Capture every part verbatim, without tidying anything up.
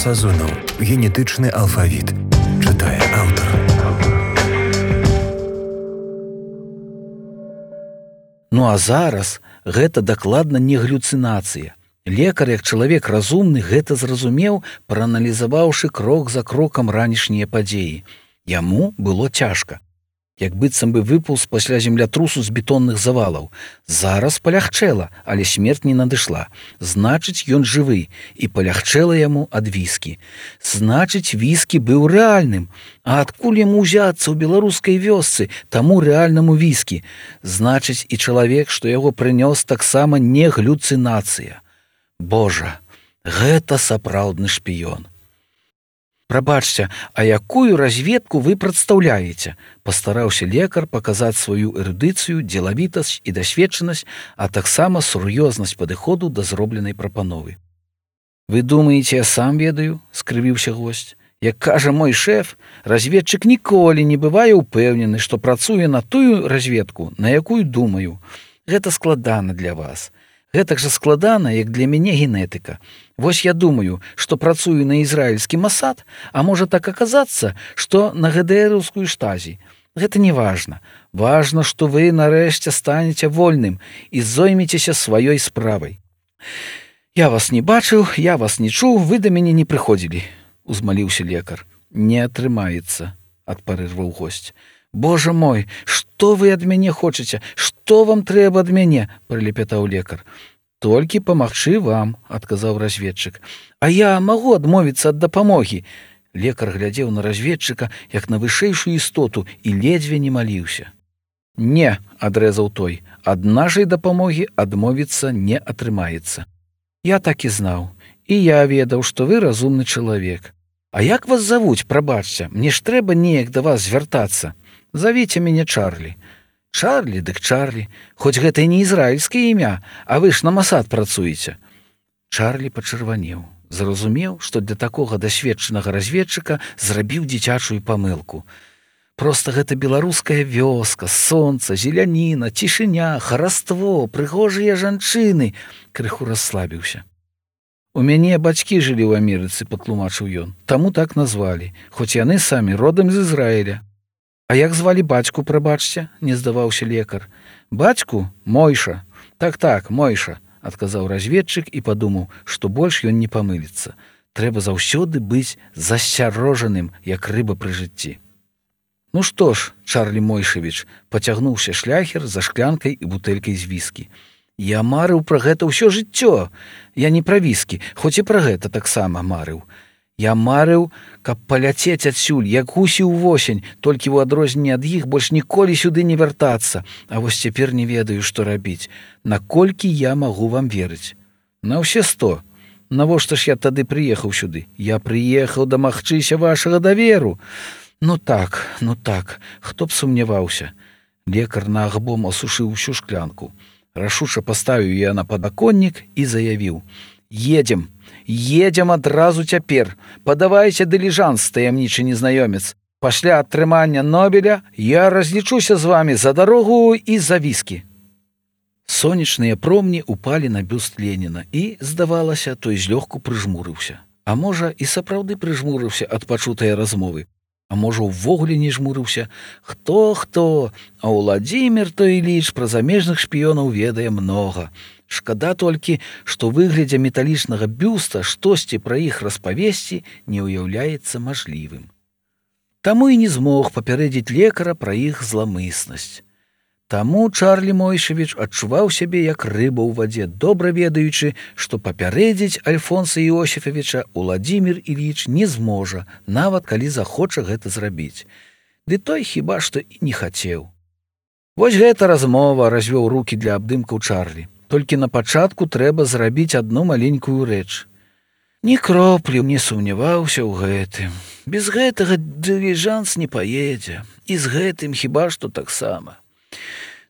Сазонаў. Генетычны алфавіт. Чытае аўтар. Ну а зараз гэта дакладна не галюцынацыя. Лекар, як чалавек разумны, гэта зразумеў, прааналізаваўшы крок за крокам ранішнія падзеі. Яму было цяжка. Як быццам бы выпаўз пасля землятрусу з бетонных завалаў. Зараз палягчэла, але смерць не надышла. Значыць, ён жывы, і палягчэла яму ад віскі. Значыць, віскі быў рэальным. А адкуль яму ўзяцца ў беларускай вёсцы таму рэальнаму віскі? Значыць, і чалавек, што яго прынёс, таксама не галюцынацыя. Божа, гэта сапраўдны шпіён. Прабачце, а якую разведку вы прадстаўляеце? Пастараўся лекар паказаць сваю эрудыцыю, дзелавітасць і дасведчанасць, а таксама сур'ёзнасць падыходу да зробленай прапановы. Вы думаеце, я сам ведаю? Скрывіўся госць. Як кажа мой шэф, разведчык ніколі не бывае ўпэўнены, што працуе на тую разведку, на якую думаю. Гэта складана для вас. Гэтак жа складана, як для мяне генетыка. Вось я думаю, што працую на ізраільскі масад, а можа так аказацца, што на ГДРаўскую штазі. Гэта не важна. Важна, што вы нарэшце станеце вольным і зоймецеся сваёй справай. Я вас не бачыў, я вас не чуў, вы да мяне не прыходзілі, узмаліўся лекар. Не атрымаецца, адпарырваў госць. Божа мой, што вы ад мяне хочаце? Што вам трэба ад мяне? Прылепятаў лекар. Толькі памагчы вам, адказаў разведчык. А я магу адмовіцца ад дапамогі. Лекар глядзеў на разведчыка, як на вышэйшую істоту, і ледзьве не маліўся. Не, адрэзаў той, ад нашай дапамогі адмовіцца не атрымаецца. Я так і знаў, і я ведаў, што вы разумны чалавек. А як вас завуць, прабачце, мне ж трэба неяк да вас звяртацца. Завіце мяне Чарлі. Чарлі, дык Чарлі. Хоць гэта і не ізраільскае імя, а вы ж на масад працуеце. Чарлі пачырванеў. Зразумеў, што для такога дасведчанага разведчыка зрабіў дзіцячую памылку. Проста гэта беларуская вёска, сонца, зеляніна, цішыня, хараство, прыгожыя жанчыны. Крыху расслабіўся. У мяне бацькі жылі ў Амерыцы, патлумачыў ён. Таму так назвалі, хоць яны самі родам з Ізраіля. А як звалі бацьку, прабачце, не здаваўся лекар. Бацьку? Мойша. Так-так, Мойша, адказаў разведчык і падумаў, што больш ён не памыліцца. Трэба заўсёды быць засцярожаным, як рыба пры жыцці. Ну што ж, Чарлі Мойшавіч, пацягнуўся шляхер за шклянкай і бутэлькай з віскі. Я марыў пра гэта ўсё жыццё. Я не пра віскі, хоць і пра гэта таксама марыў. Я марыў, каб паляцець адсюль, як гусі ў восень, толькі ў адрозненне ад іх больш ніколі сюды не вяртацца. А вось цяпер не ведаю, што рабіць. Наколькі я магу вам верыць? На ўсе сто. Навошта ж я тады прыехаў сюды? Я прыехаў дамагчыся вашага даверу. Ну так, ну так, хто б сумняваўся. Лекар наагбом асушыў усю шклянку. Рашуча паставіў я на падаконнік і заявіў. Едзем. Едзем адразу цяпер. Падавайце дыліжанс, таямнічы незнаёмец. Пасля атрымання Нобеля я разлічуся з вамі за дарогу і за віскі. Сонечныя промні упалі на бюст Леніна і, здавалася, той злёгку прыжмурыўся. А можа, і сапраўды прыжмурыўся ад пачутае размовы. А можа, увогуле не жмурыўся. Хто-хто, а Уладзімір той Іліч пра замежных шпіёнаў ведае многа. Шкада толькі, што выглядзе металічнага бюста штосьці пра іх распавесці не ўяўляецца мажлівым. Таму і не змог папярэдзіць лекара пра іх зламыснасць. Таму Чарлі Мойшавіч адчуваў сябе як рыба ў вадзе, добра ведаючы, што папярэдзіць Альфонса Іосіфавіча Уладзімір Іліч не зможа, нават калі захоча гэта зрабіць. Ды той хіба што і не хацеў. Вось гэта размова, развёў рукі для абдымкаў Чарлі. Толькі на пачатку трэба зрабіць адну маленькую рэч. Ні кроплю не сумняваўся ў гэтым. Без гэтага дыліжанс не паедзе. І з гэтым хіба што таксама.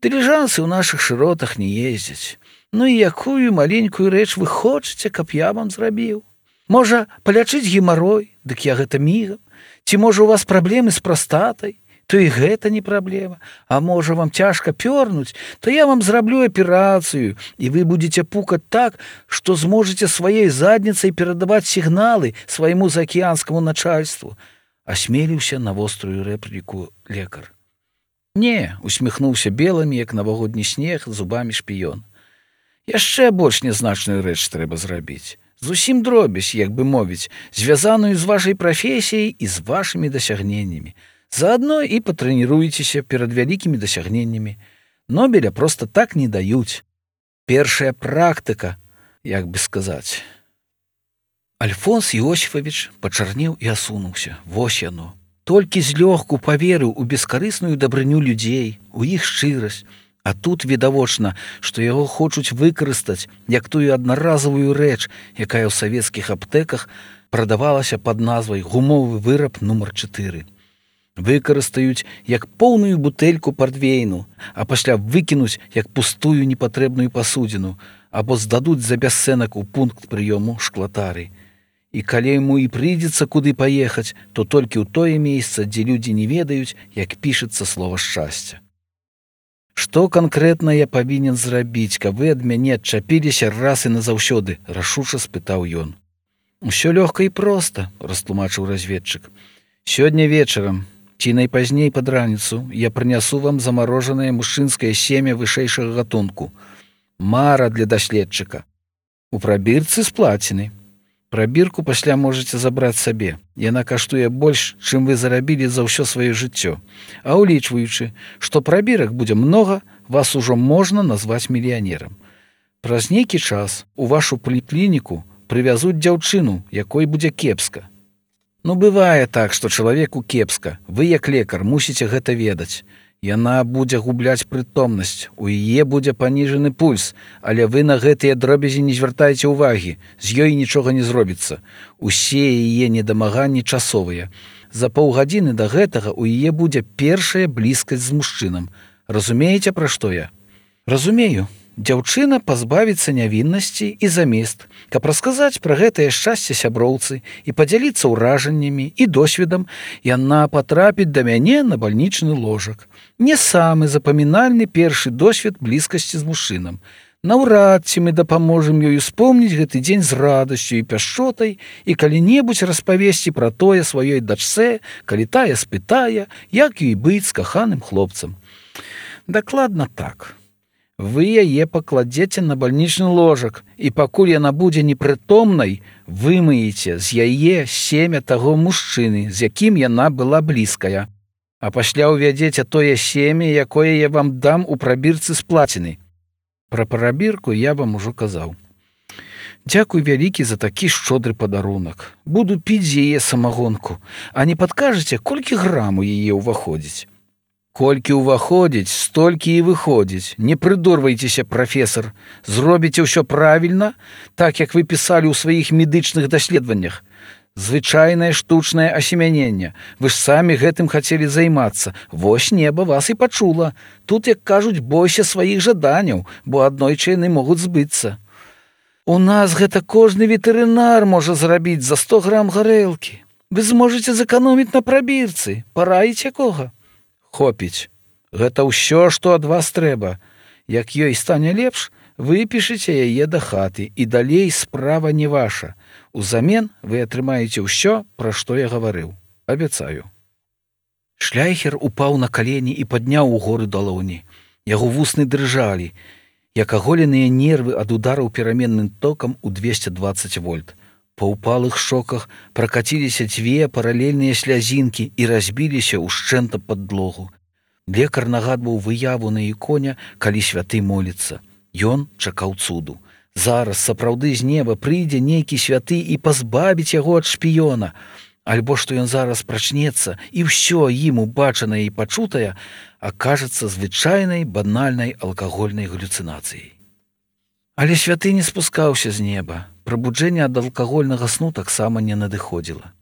Дыліжансы ў нашых шыротах не ездзяць. Ну і якую маленькую рэч вы хочаце, каб я вам зрабіў? Можа, палячыць гемарой? Дык я гэта мігам. Ці можа у вас праблемы з прастатай? то і гэта не праблема. А можа, вам цяжка пёрнуць, то я вам зраблю аперацыю, і вы будзеце пукаць так, што зможаце сваёй задніцай перадаваць сігналы свайму заакіянскаму начальству. Асмеліўся на вострую рэпліку лекар. Не, усміхнуўся белымі, як навагодні снег, зубамі шпіён. Яшчэ больш нязначную рэч трэба зрабіць. Зусім дробязь, як бы мовіць, звязаную з вашай прафесіяй і з вашымі дасягненнямі. Заадно і патрэніруецеся перад вялікімі дасягненнямі. Нобеля проста так не даюць. Першая практыка, як бы сказаць. Альфонс Іосіфавіч пачарнеў і асунуўся. Вось яно. Толькі злёгку паверыў у бескарысную дабрыню людзей, у іх шчырасць. А тут відавочна, што яго хочуць выкарыстаць як тую аднаразавую рэч, якая ў савецкіх аптэках прадавалася пад назвай гумовы выраб нумар чатыры. Выкарыстаюць як поўную бутэльку партвейну, а пасля выкінуць як пустую непатрэбную пасудзіну, або здадуць за бясцэнак у пункт прыёму шклатары. І калі яму і прыйдзецца куды паехаць, то толькі ў тое месца, дзе людзі не ведаюць, як пішацца слова шчасця. Што канкрэтна я павінен зрабіць, каб вы ад мяне адчапіліся раз і назаўсёды, рашуча спытаў ён. Усё лёгка і проста, растлумачыў разведчык. Сёння вечарам, ці найпазней пад раніцу, я прынясу вам замарожанае мужчынскае семя вышэйшага гатунку. Мара для даследчыка. У прабірцы сплаціны. Прабірку пасля можаце забраць сабе. Яна каштуе больш, чым вы зарабілі за ўсё сваё жыццё. А ўлічваючы, што прабірак будзе многа, вас ужо можна назваць мільянерам. Праз нейкі час у вашу паліклініку прывязуць дзяўчыну, якой будзе кепска. Ну, бывае так, што чалавеку кепска. Вы, як лекар, мусіце гэта ведаць. Яна будзе губляць прытомнасць, у яе будзе паніжаны пульс, але вы на гэтыя дробязі не звяртайце ўвагі, з ёй нічога не зробіцца. Усе яе недамаганні часовыя. За паўгадзіны да гэтага у яе будзе першая блізкасць з мужчынам. Разумееце, пра што я? Разумею. Дзяўчына пазбавіцца нявіннасці і замест, каб расказаць пра гэтае шчасце сяброўцы і падзяліцца ўражаннямі і досведам, яна патрапіць да мяне на бальнічны ложак. Не самы запамінальны першы досвед блізкасці з мужчынам. Наўрад ці мы дапаможам ёй успомніць гэты дзень з радасцю і пяшчотай і калі-небудзь распавесці пра тое сваёй дачцэ, калі тая спытае, як ёй быць з каханым хлопцам. Дакладна так. Вы яе пакладзеце на бальнічны ложак, і пакуль яна будзе непрытомнай, вымыеце з яе семя таго мужчыны, з якім яна была блізкая. А пасля ўвядзеце тое семя, якое я вам дам у прабірцы сплаціны. Пра прабірку я вам ужо казаў. Дзякуй вялікі за такі шчодры падарунак. Буду піць з яе самагонку, а не падкажаце, колькі грам у яе ўваходзіць? Колькі ўваходзіць, столькі і выходзіць. Не прыдурвайцеся, прафесар. Зробіце ўсё правільна, так як вы пісалі ў сваіх медычных даследаваннях. Звычайнае штучнае асемяненне. Вы ж самі гэтым хацелі займацца. Вось неба вас і пачула. Тут, як кажуць, бойся сваіх жаданняў, бо аднойчы яны могуць збыцца. У нас гэта кожны ветэрынар можа зрабіць за сто грам гарэлкі. Вы зможаце зэканоміць на прабірцы. Параіць якога? Хопіць. Гэта ўсё, што ад вас трэба. Як ёй стане лепш, выпішыце яе да хаты, і далей справа не ваша. Узамен вы атрымаеце ўсё, пра што я гаварыў. Абяцаю. Шляйхер упаў на калені і падняў угоры далоні. Яго вусны дрыжалі, як аголеныя нервы ад удараў пераменным токам у двесце дваццаць вольт. Па ўпалых шоках пракаціліся дзве паралельныя слязінкі і разбіліся ўшчэнта падлогу. Лекар нагадваў выяву на іконе, калі святы моліцца. Ён чакаў цуду. Зараз сапраўды з неба прыйдзе нейкі святы і пазбавіць яго ад шпіёна. Альбо што ён зараз прачнецца, і ўсё ім убачанае і пачутае акажацца звычайнай банальнай алкагольнай галюцынацыяй. Але святы не спускаўся з неба. Прабуджэнне ад алкагольнага сну таксама не надыходзіла.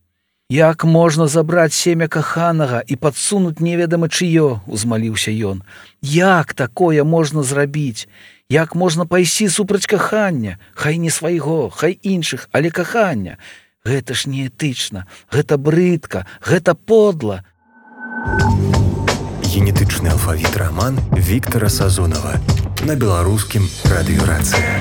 Як можна забраць семя каханага і падсунуць неведама чыё, узмаліўся ён. Як такое можна зрабіць? Як можна пайсці супраць кахання? Хай не свайго, хай іншых, але кахання. Гэта ж неэтычна, гэта брыдка, гэта подла. Генетычны алфавіт раман Віктара Сазонава на беларускім радыёрацыя.